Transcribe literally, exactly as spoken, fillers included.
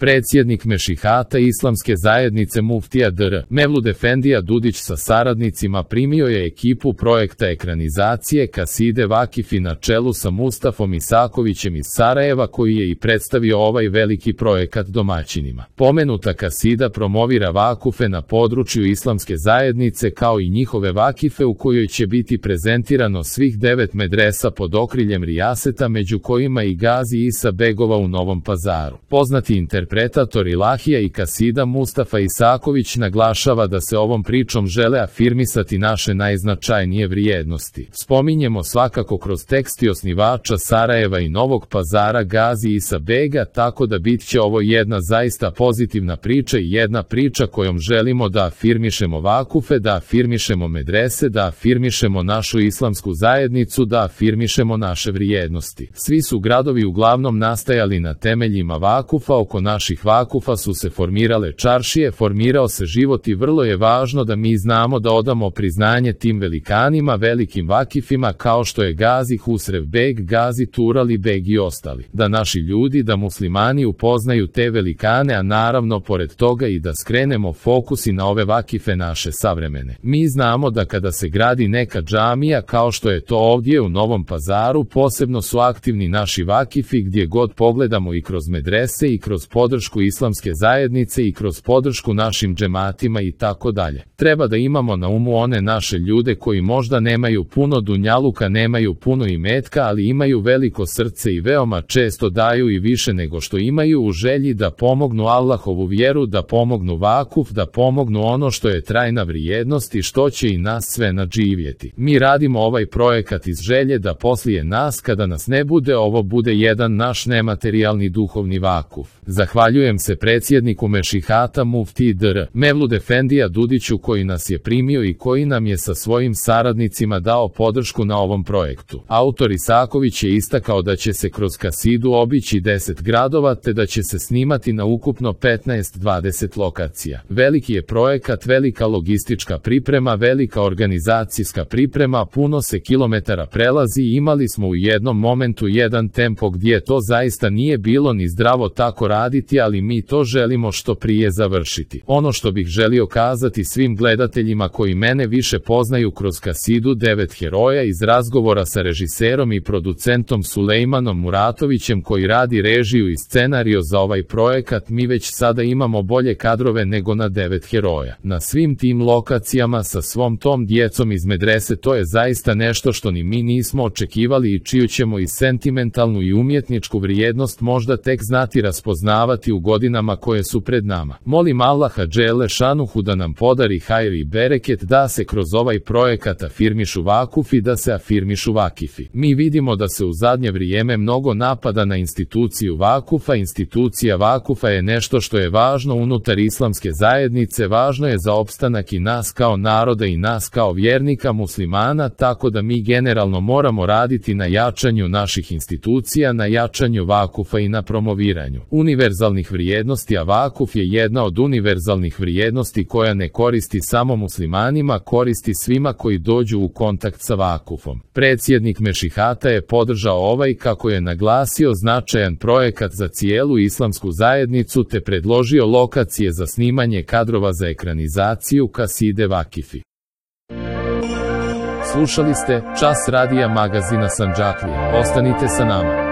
Predsjednik Mešihata Islamske zajednice muftija dr. Mevlud Efendija Dudić sa saradnicima primio je ekipu projekta ekranizacije kaside Vakifi na čelu sa Mustafom Isakovićem iz Sarajeva, koji je i predstavio ovaj veliki projekat domaćinima. Pomenuta kasida promovira vakufe na području Islamske zajednice kao i njihove vakife, u kojoj će biti prezentirano svih devet medresa pod okriljem rijaseta, među kojima i Gazi Isa Begova u Novom Pazaru. Poznati interpretator ilahija i kasida Mustafa Isaković naglašava da se ovom pričom žele afirmisati naše najznačajnije vrijednosti. Spominjemo svakako kroz tekst i osnivača Sarajeva i Novog Pazara Gazi Isa Bega, tako da bit će ovo jedna zaista pozitivna priča i jedna priča kojom želimo da afirmišemo vakufe, da afirmišemo medrese, da afirmišemo našu islamsku zajednicu, da afirmišemo naše vrijednosti. Svi su gradovi uglavnom nastajali na temeljima vakufa, oko naših vakufa su se formirale čaršije, formirao se život i vrlo je važno da mi znamo da odamo priznanje tim velikanima, velikim vakifima kao što je Gazi Husrev Beg, Gazi Turali Beg i ostali. Da naši ljudi, da muslimani upoznaju te velikane, a naravno pored toga i da skrenemo fokus i na ove vakife naše savremene. Mi znamo da kada se gradi neka džamija kao što je to ovdje u Novom Pazaru, posebno su aktivni naši vakifi gdje god pogledamo, i kroz medrese i kroz podršku Islamske zajednice i kroz podršku našim džematima i tako dalje. Treba da imamo na umu one naše ljude koji možda nemaju puno dunjaluka, nemaju puno imetka, ali imaju veliko srce i veoma često daju i više nego što imaju, u želji da pomognu Allahovu vjeru, da pomognu vakuf, da pomognu ono što je trajna vrijednost i što će i nas sve nadživjeti. Mi radimo ovaj projekat iz želje da poslije nas, kada nas ne bude, ovo bude jedan naš nematerijalni duhovni vakuf. Zahvaljujem se predsjedniku Mešihata muftiji dr. Mevlud Efendija Dudiću koji nas je primio i koji nam je sa svojim saradnicima dao podršku na ovom projektu. Autor Isaković je istakao da će se kroz kasidu obići deset gradova te da će se snimati na ukupno petnaest do dvadeset lokacija. Veliki je projekat, velika logistička priprema, velika organizacijska priprema, puno se kilometara prelazi i imali smo u jednom momentu jedan tempo gdje to zaista nije bilo ni zdravo tako raditi, ali mi to želimo što prije završiti. Ono što bih želio kazati svim gledateljima koji mene više poznaju kroz kasidu Devet heroja iz razgovora sa režiserom i producentom Sulejmanom Muratovićem koji radi režiju i scenario za ovaj projekat, mi već sada imamo bolje kadrove nego na Devet heroja. Na svim tim lokacijama sa svom tom djecom iz medrese, to je zaista nešto što ni mi nismo očekivali i čiju ćemo i sentimentalnu i umjetničku vrijednost možda tek znati raspoznavati u godinama koje su pred nama. Molim Allaha dželle šanuhu da nam podari hajr i bereket, da se kroz ovaj projekat afirmišu vakufi, da se afirmišu vakifi. Mi vidimo da se u zadnje vrijeme mnogo napada na instituciju vakufa. Institucija vakufa je nešto što je važno unutar Islamske zajednice, važno je za opstanak i nas kao naroda i nas kao vjernika muslimana, tako da mi generalno moramo raditi na jačanju naših institucija, na jačanju vakufa i na promoviranju univerzalnih vrijednosti, a vakuf je jedna od univerzalnih vrijednosti koja ne koristi samo muslimanima, koristi svima koji dođu u kontakt sa vakufom. Predsjednik Mešihata je podržao ovaj, kako je naglasio, značajan projekat za cijelu islamsku zajednicu te predložio lokacije za snimanje kadrova za ekranizaciju kaside Vakifi. Slušali ste Čas radija magazina Sandžaklija. Ostanite sa nama.